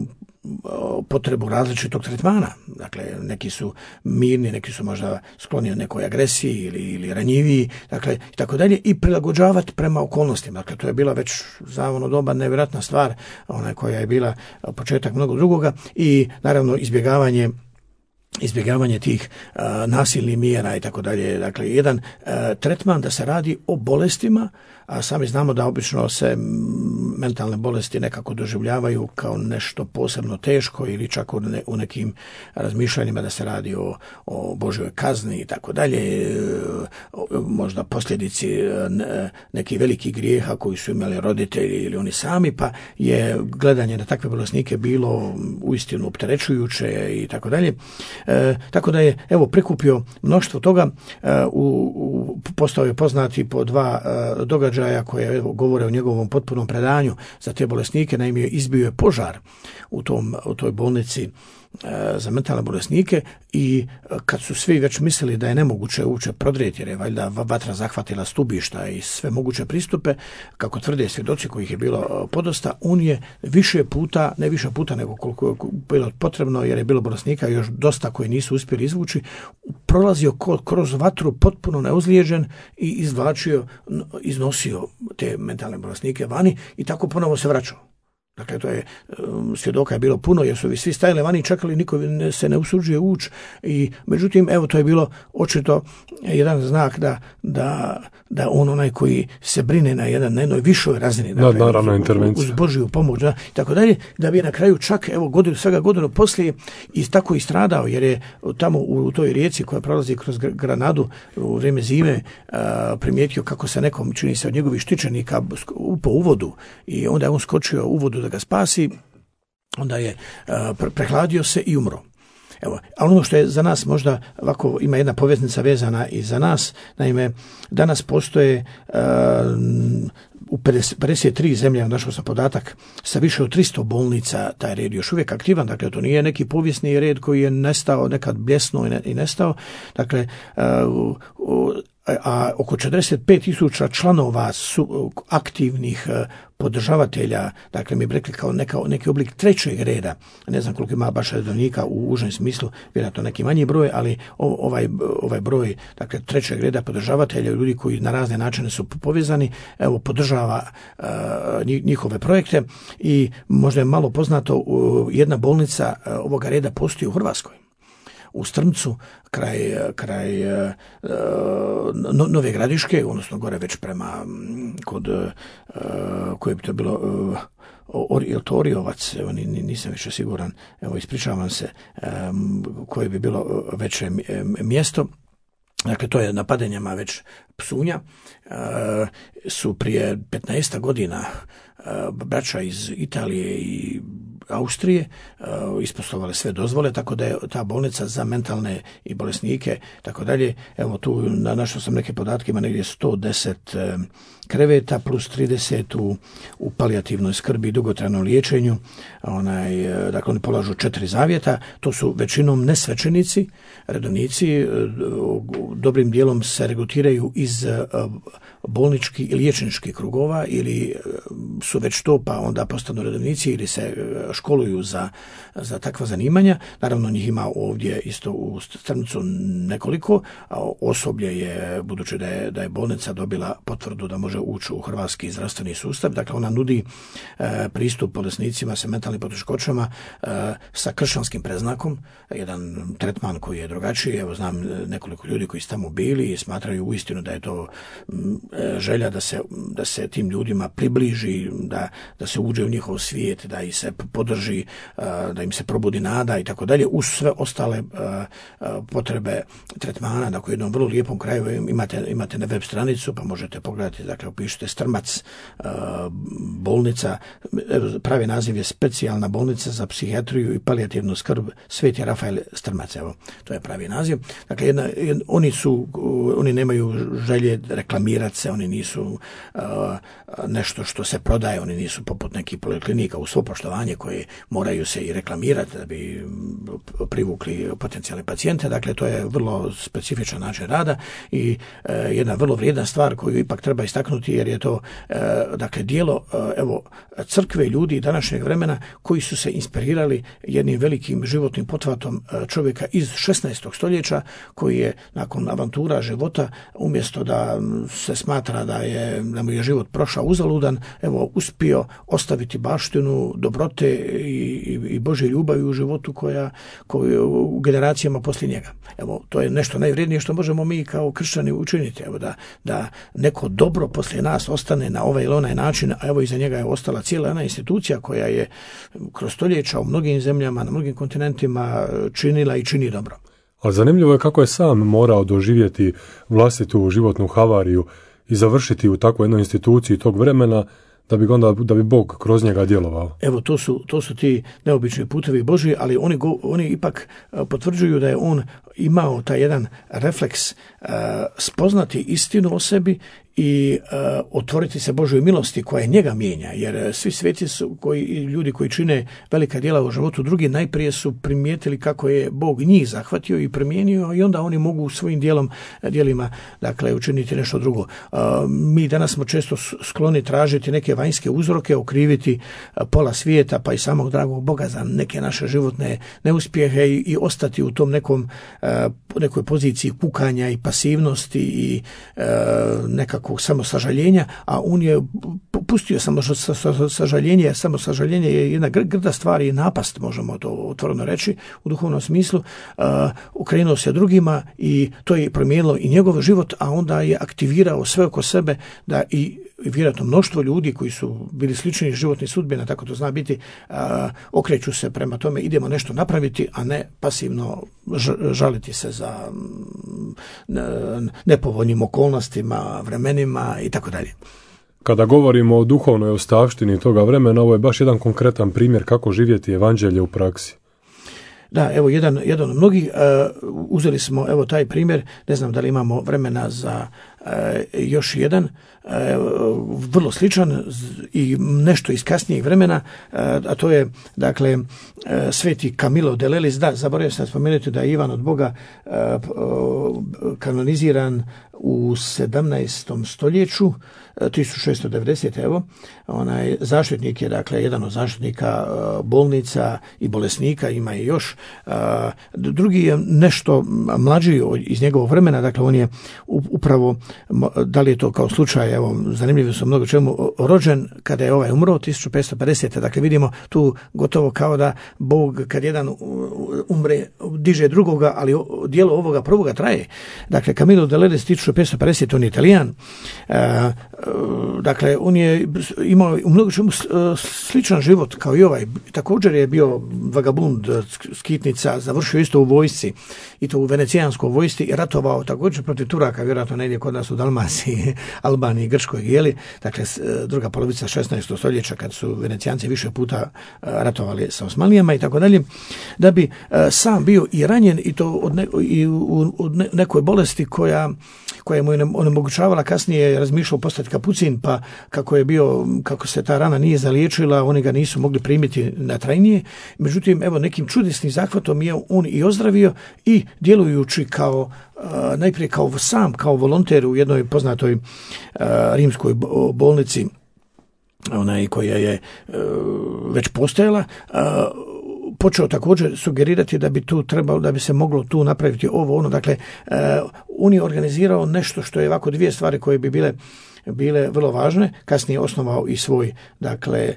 potrebu različitog tretmana. Dakle, neki su mirni, neki su možda skloni nekoj agresiji ili, ili ranjiviji, dakle, i tako dalje, i prilagođavati prema okolnostima. Dakle, to je bila već za ono doba nevjerojatna stvar, ona koja je bila početak mnogo drugoga, i naravno izbjegavanje izbjegavanje tih uh, nasilnih mjera i tako dalje. Dakle, jedan uh, tretman da se radi o bolestima, a sami znamo da obično se mentalne bolesti nekako doživljavaju kao nešto posebno teško ili čak u, ne, u nekim razmišljanjima da se radi o, o Božjoj kazni i tako dalje, možda posljedici nekih velikih grijeha koji su imali roditelji ili oni sami, pa je gledanje na takve bolesnike bilo uistinu opterećujuće i tako dalje. E, tako da je evo prikupio mnoštvo toga, e, u, u, postao je poznati po dva e, događaja koje evo, govore o njegovom potpunom predanju za te bolesnike. Naime, izbio je požar u, tom, u toj bolnici za mentalne bolesnike i kad su svi već mislili da je nemoguće uopće prodrijeti, jer je valjda vatra zahvatila stubišta i sve moguće pristupe, kako tvrde svjedoci kojih je bilo podosta, on je više puta, ne više puta nego koliko je bilo potrebno, jer je bilo bolesnika još dosta koji nisu uspjeli izvući, prolazio kroz vatru potpuno neozlijeđen i izvlačio, iznosio te mentalne bolesnike vani i tako ponovo se vraćao. Dakle, to je, svjedoka je bilo puno jer su svi stajali vani i čekali, niko se ne usuđuje ući i međutim, evo, to je bilo očito jedan znak da, da, da on onaj koji se brine na, jedan, na jednoj višoj razini, dakle, naravno, uz, uz Božju pomoć, da, i tako dalje, da bi na kraju čak, evo, godinu, svega godinu poslije i tako i stradao, jer je tamo u, u toj rijeci koja prolazi kroz Granadu u vrijeme zime a, primijetio kako se nekom, čini se, od njegovih štićenika upao u vodu i onda je on skočio u vodu da ga spasi, onda je uh, prehladio se i umro. Evo, a ono što je za nas možda ovako ima jedna poveznica vezana i za nas, naime, danas postoje uh, u pedeset tri zemlje, našao sam podatak, sa više od tristo bolnica taj red još uvijek aktivan, dakle to nije neki povijesni red koji je nestao, nekad bljesnuo i, ne, i nestao, dakle uh, uh, a oko četrdeset pet tisuća članova su aktivnih podržavatelja, dakle mi bi rekli kao neka, neki oblik trećeg reda, ne znam koliko ima baš redovnika u užem smislu, vjerojatno neki manji broj, ali ovaj, ovaj broj, dakle trećeg reda podržavatelja, ljudi koji na razne načine su povezani, evo podržava uh, njihove projekte i možda je malo poznato, uh, jedna bolnica uh, ovoga reda postoji u Hrvatskoj. U Strmcu, kraj, kraj uh, Nove Gradiške, odnosno gore već prema kod, uh, koje bi to bilo, uh, je li to Oriovac, evo, nisam više siguran, evo ispričavam se, um, koje bi bilo veće mjesto. Dakle, to je napadanjama već Psunja, uh, su prije petnaest godina uh, braća iz Italije i Austrije uh, isposlovale sve dozvole, tako da je ta bolnica za mentalne i bolesnike, tako dalje, evo tu našao sam neke podatke, ima negdje sto deset uh, kreveta plus trideset u, u palijativnoj skrbi i dugotrajnom liječenju, onaj, uh, dakle oni polažu četiri zavjeta, to su većinom nesvećenici, redovnici, uh, dobrim dijelom se regrutiraju iz uh, bolničkih i liječničkih krugova ili uh, su već to pa onda postanu redovnici ili se uh, školuju za, za takva zanimanja. Naravno njih ima ovdje isto u Strmcu nekoliko, a osoblje je, budući da je, da je bolnica dobila potvrdu da može ući u hrvatski zdravstveni sustav, dakle ona nudi e, pristup bolesnicima sa mentalnim poteškoćama e, sa kršćanskim preznakom, jedan tretman koji je drugačiji. Evo znam nekoliko ljudi koji su tamo bili i smatraju uistinu da je to m, želja da se, da se tim ljudima približi, da, da se uđe u njihov svijet, da ih se podrži, da im se probudi nada i tako dalje, uz sve ostale potrebe tretmana. Dakle, u jednom vrlo lijepom kraju imate, imate na web stranicu, pa možete pogledati, dakle, upišite Strmac bolnica, pravi naziv je specijalna bolnica za psihijatriju i palijativnu skrb Sveti Rafael Strmac, evo, to je pravi naziv. Dakle, jedna, jedna, oni su, oni nemaju želje reklamirati se, oni nisu uh, nešto što se prodaje, oni nisu poput nekih poliklinika u svo poštovanje koje moraju se i reklamirati da bi privukli potencijalne pacijente. Dakle, to je vrlo specifičan način rada i uh, jedna vrlo vrijedna stvar koju ipak treba istaknuti, jer je to uh, dakle djelo uh, evo crkve ljudi današnjeg vremena koji su se inspirirali jednim velikim životnim pothvatom uh, čovjeka iz šesnaestog stoljeća koji je nakon avantura života, umjesto da se smatra da je da mu je život prošao uzalud, uzaludan evo uspio ostaviti baštinu dobrote i, i, i Božje ljubavi u životu koja, koja u generacijama poslije njega. Evo, to je nešto najvrijednije što možemo mi kao kršćani učiniti, evo da, da neko dobro poslije nas ostane na ovaj ili onaj način, a evo iza njega je ostala cijela jedna institucija koja je kroz stoljeća u mnogim zemljama, na mnogim kontinentima činila i čini dobro. Ali zanimljivo je kako je sam morao doživjeti vlastitu životnu havariju i završiti u takvoj jednoj instituciji tog vremena da bi onda da bi Bog kroz njega djelovao. Evo to su to su ti neobični putevi Božji, ali oni go, oni ipak potvrđuju da je on imao taj jedan refleks uh, spoznati istinu o sebi i uh, otvoriti se Božoj milosti koja njega mijenja, jer svi sveti su koji ljudi koji čine velika djela u životu drugi najprije su primijetili kako je Bog njih zahvatio i promijenio i onda oni mogu svojim djelom djelima dakle učiniti nešto drugo. Uh, mi danas smo često skloni tražiti neke vanjske uzroke, okriviti pola svijeta pa i samog dragog Boga za neke naše životne neuspjehe i, i ostati u tom nekom nekoj poziciji kukanja i pasivnosti i e, nekakvog samosažaljenja, a on je pustio samo sažaljenje, jer samo sažaljenje je jedna grda stvar i napast, možemo to otvoreno reći u duhovnom smislu. E, okrenuo se drugima i to je promijenilo i njegov život, a onda je aktivirao sve oko sebe da i vjerojatno mnoštvo ljudi koji su bili slični životnih sudbina, tako to zna biti, a, okreću se prema tome, idemo nešto napraviti, a ne pasivno žaliti se za nepovoljnim okolnostima, vremenima i tako dalje. Kada govorimo o duhovnoj ostavštini toga vremena, ovo je baš jedan konkretan primjer kako živjeti evanđelje u praksi. Da, evo jedan, jedan od mnogih, uh, uzeli smo evo taj primjer, ne znam da li imamo vremena za uh, još jedan, uh, vrlo sličan i nešto iz kasnijeg vremena, uh, a to je dakle uh, sveti Camilo de Lelis. Da, zaboravio sam spomenuti da je Ivan od Boga uh, uh, kanoniziran u sedamnaestom stoljeću, tisuću šesto devedesete. Evo, onaj zaštitnik je dakle jedan od zaštitnika uh, bolnica i bolesnika, ima i još. Uh, drugi je nešto mlađi iz njegovog vremena, dakle on je upravo, da li je to kao slučaj, evo zanimljivo su mnogo čemu, rođen kada je ovaj umro tisuću petsto pedesete. Dakle vidimo tu gotovo kao da Bog kad jedan umre diže drugoga, ali dijelo ovoga prvoga traje. Dakle Camilo de Lelis tisuću petsto pedesete, on je Italijan. Uh, Dakle, on je imao u mnogo čemu sličan život kao i ovaj. Također je bio vagabund, skitnica, završio isto u vojsci, i to u venecijanskoj vojsci, i ratovao također protiv Turaka, vjerojatno negdje kod nas u Dalmaciji, Albaniji, Grčkoj, jeli. Dakle, druga polovica šesnaestog stoljeća, kad su Venecijanci više puta ratovali sa Osmanlijama i tako dalje, da bi sam bio i ranjen, i to od, ne, i u, od nekoj bolesti koja, koja mu je onemogućavala kasnije, razmišljao postati kapucin, pa kako je bio, kako se ta rana nije zaliječila, oni ga nisu mogli primiti na trajnije. Međutim, evo nekim čudesnim zahvatom je on i ozdravio, i djelujući kao najprije kao sam, kao volonter u jednoj poznatoj rimskoj bolnici, onaj koja je već postojala, počeo također sugerirati da bi tu trebalo, da bi se moglo tu napraviti ovo, ono. Dakle, on je organizirao nešto što je ovako dvije stvari koje bi bile bile vrlo važne. Kasnije osnovao i svoj dakle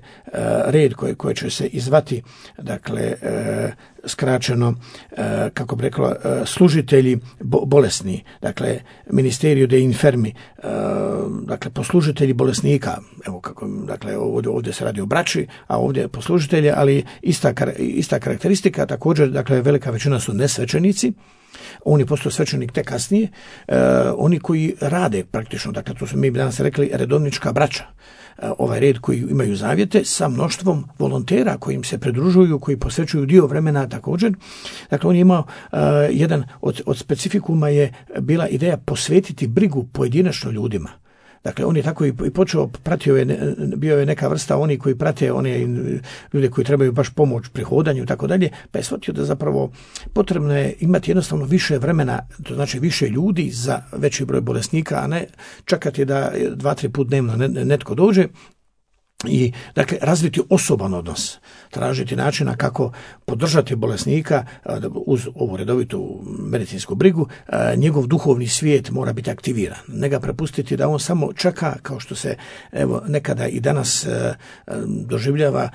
red koji koji će se izvati dakle skraćeno, kako bi rekla, služitelji bolesni, dakle ministerio de infermi, dakle poslužitelji bolesnika. Evo kako, dakle ovdje, ovdje se radi o braći, a ovdje poslužitelji, ali ista ista karakteristika također. Dakle velika većina su nesvećenici. On je postao svećenik tek kasnije. E, oni koji rade praktično, dakle to su mi danas rekli redovnička braća, e, ovaj red koji imaju zavjete sa mnoštvom volontera koji im se pridružuju, koji posvećuju dio vremena također. Dakle on je imao e, jedan od, od specifikuma je bila ideja posvetiti brigu pojedinačno ljudima. Dakle, on je tako i počeo, pratio je, bio je neka vrsta oni koji prate one ljude koji trebaju baš pomoć pri hodanju i tako dalje, pa je shvatio da zapravo potrebno je imati jednostavno više vremena, to znači više ljudi za veći broj bolesnika, a ne čekati da dva, tri put dnevno netko dođe. I, dakle, razviti osoban odnos, tražiti načina kako podržati bolesnika uz ovu redovitu medicinsku brigu. Njegov duhovni svijet mora biti aktiviran. Ne ga prepustiti da on samo čeka, kao što se evo nekada i danas doživljava,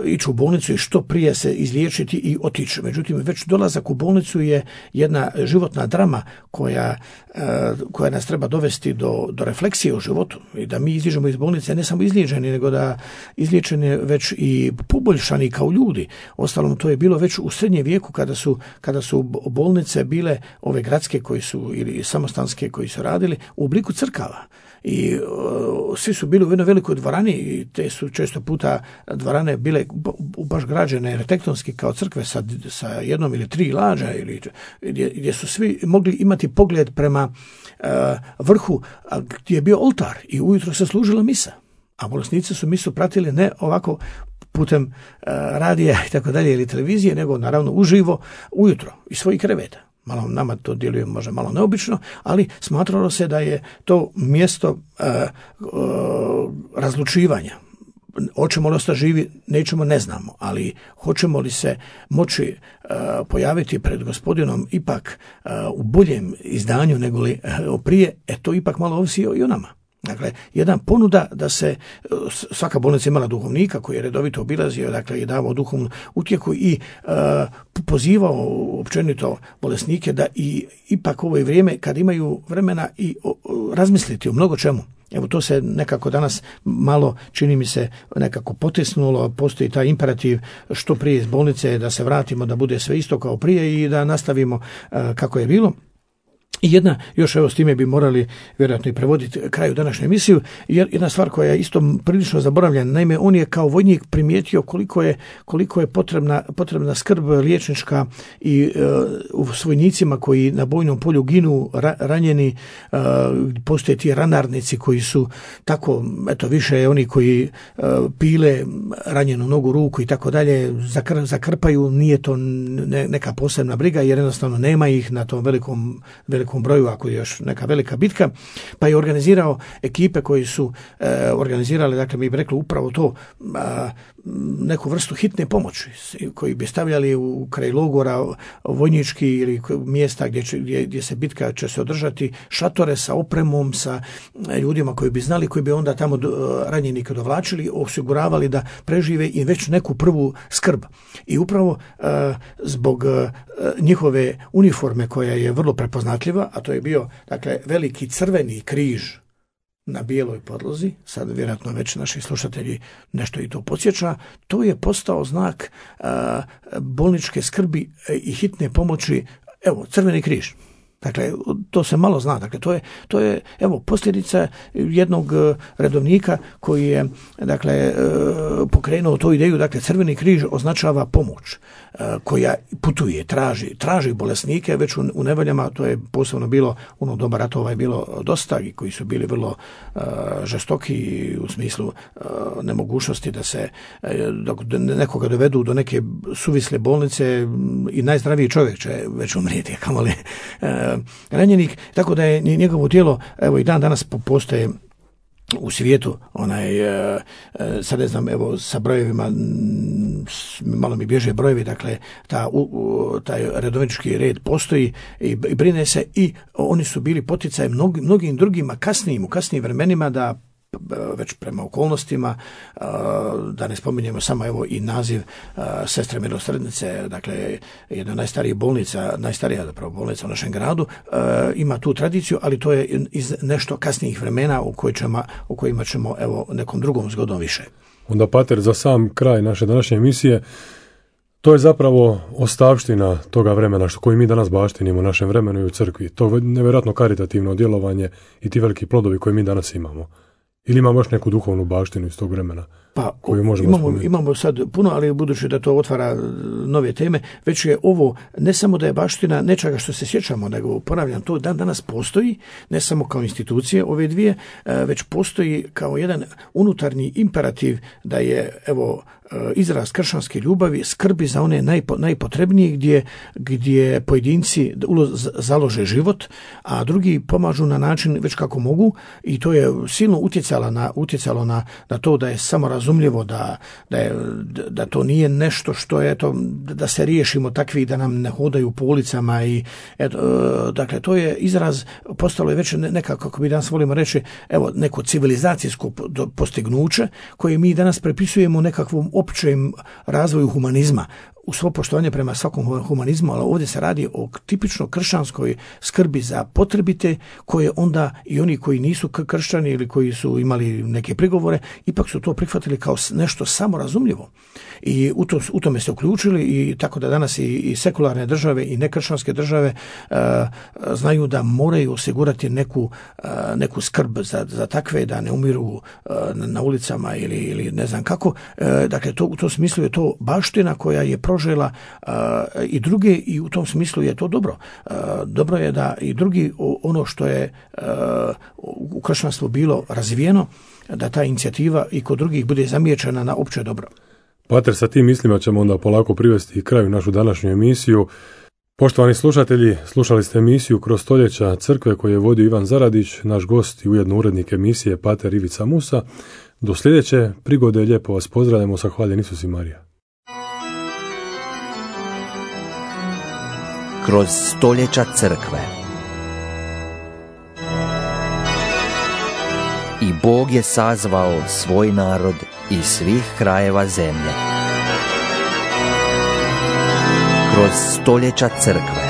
ići u bolnicu i što prije se izliječiti i otići. Međutim, već dolazak u bolnicu je jedna životna drama koja, koja nas treba dovesti do, do refleksije u životu i da mi iziđemo iz bolnice ne samo izliječeni, nego da izliječeni već i poboljšani kao ljudi. Ostalom, to je bilo već u srednjem vijeku kada su, kada su bolnice bile ove gradske koji su ili samostanske koji su radili u obliku crkava. I uh, svi su bili u jednoj velikoj dvorani i te su često puta dvorane bile baš građene arhitektonski kao crkve sa, sa jednom ili tri lađa ili, gdje, gdje su svi mogli imati pogled prema uh, vrhu gdje je bio oltar i ujutro se služila misa. A bolesnici su misu pratili ne ovako putem uh, radija i tako dalje ili televizije, nego naravno uživo ujutro iz svojih kreveta. Malo nama to djeluje možda malo neobično, ali smatralo se da je to mjesto uh, uh, razlučivanja. Hoćemo li ostati živi, nećemo, ne znamo, ali hoćemo li se moći uh, pojaviti pred Gospodinom ipak uh, u boljem izdanju nego li uh, prije, e to ipak malo ovisi i o nama. Dakle, jedan ponuda da se, svaka bolnica imala duhovnika koji je redovito obilazio, dakle, i davao duhovnu utjehu i uh, pozivao općenito bolesnike da i ipak ovo je vrijeme kad imaju vremena i o, o, razmisliti o mnogo čemu. Evo, to se nekako danas malo, čini mi se, nekako potisnulo, postoji taj imperativ što prije iz bolnice da se vratimo, da bude sve isto kao prije i da nastavimo uh, kako je bilo. I jedna, još evo s time bi morali vjerojatno i prevoditi kraju današnju emisiju, jer jedna stvar koja je isto prilično zaboravljena, naime on je kao vojnik primijetio koliko je, koliko je potrebna, potrebna skrb liječnička i uh, u vojnicima koji na bojnom polju ginu ra, ranjeni, uh, postoje ti ranarnici koji su tako, eto više oni koji uh, pile ranjenu nogu, ruku i tako dalje, zakr, zakrpaju, nije to ne, neka posebna briga jer jednostavno nema ih na tom velikom, velikom broju, ako je još neka velika bitka, pa je organizirao ekipe koji su e, organizirali, dakle mi bi rekli upravo to, a, neku vrstu hitne pomoći, koji bi stavljali u kraj logora vojnički ili mjesta gdje, će, gdje, gdje se bitka će se održati, šatore sa opremom, sa ljudima koji bi znali, koji bi onda tamo do, ranjenike dovlačili, osiguravali da prežive i već neku prvu skrb. I upravo a, zbog a, njihove uniforme koja je vrlo prepoznatljiva, a to je bio, dakle, veliki crveni križ na bijeloj podlozi, sad vjerojatno već naši slušatelji nešto i to podsjeća, to je postao znak a, bolničke skrbi i hitne pomoći, evo, crveni križ. Dakle, to se malo zna. Dakle, to je, to je evo, posljedica jednog redovnika koji je, dakle, pokrenuo tu ideju. Dakle, crveni križ označava pomoć koja putuje, traži, traži bolesnike već u, u nevoljama. To je posebno bilo, ono doba ratova je bilo dosta i koji su bili vrlo uh, žestoki u smislu uh, nemogućnosti da se uh, dok nekoga dovedu do neke suvisle bolnice i najzdraviji čovjek će već umrijeti, kamoli uh, ranjenik, tako da je njegovo tijelo, evo i dan danas postoje u svijetu, onaj, sad ne znam, evo sa brojevima, malo mi bježe brojevi, dakle, ta, u, taj redovnički red postoji i, i brine se i oni su bili poticaj mnog, mnogim drugima kasnijim, u kasnijim vremenima da već prema okolnostima, da ne spominjemo samo evo i naziv Sestre milosrdnice, dakle jedna najstarija bolnica, najstarija zapravo bolnica u našem gradu, ima tu tradiciju, ali to je iz nešto kasnijih vremena u, koj ćemo, u kojima ćemo evo nekom drugom zgodom više. Onda, pater, za sam kraj naše današnje emisije, to je zapravo ostavština toga vremena što koji mi danas baštinimo u našem vremenu i u crkvi. To nevjerojatno karitativno djelovanje i ti veliki plodovi koje mi danas imamo. Ili imamo još neku duhovnu baštinu iz tog vremena pa, koju možemo imamo, spomenuti? Imamo sad puno, ali budući da to otvara nove teme, već je ovo ne samo da je baština nečega što se sjećamo, nego ponavljam, to dan danas postoji, ne samo kao institucije ove dvije, već postoji kao jedan unutarnji imperativ da je, evo, izraz kršćanske ljubavi, skrbi za one najpo, najpotrebnije gdje, gdje pojedinci založe život, a drugi pomažu na način već kako mogu, i to je silno utjecalo na, utjecalo na, na to da je samorazumljivo da, da, je, da to nije nešto što je, eto, da se riješimo takvi da nam ne hodaju po ulicama i eto, dakle to je izraz, postalo je već nekako, kako bi danas volimo reći, evo, neko civilizacijsko postignuće koje mi danas prepisujemo nekakvom općem razvoju humanizma, u svo poštovanje prema svakom humanizmu, ali ovdje se radi o tipično kršćanskoj skrbi za potrebite, koje onda i oni koji nisu kršćani ili koji su imali neke prigovore, ipak su to prihvatili kao nešto samorazumljivo. I u, to, u tome se uključili, i tako da danas i, i sekularne države i nekršćanske države uh, znaju da moraju osigurati neku, uh, neku skrb za, za takve, da ne umiru uh, na ulicama ili, ili ne znam kako. Uh, dakle, to, u tom smislu je to baština koja je prožela uh, i druge, i u tom smislu je to dobro. Uh, dobro je da i drugi, ono što je uh, u kršćanstvu bilo razvijeno, da ta inicijativa i kod drugih bude zamijećena na opće dobro. Pater, sa tim mislima ćemo onda polako privesti kraju našu današnju emisiju. Poštovani slušatelji, slušali ste emisiju Kroz stoljeća crkve koju je vodio Ivan Zaradić, naš gost i ujedno urednik emisije Pater Ivica Musa. Do sljedeće prigode lijepo vas pozdravljamo sa Hvaljen Isus i Marija. Kroz stoljeća crkve. I Bog je sazvao svoj narod iz svih krajeva zemlje. Kroz stoljeća crkve.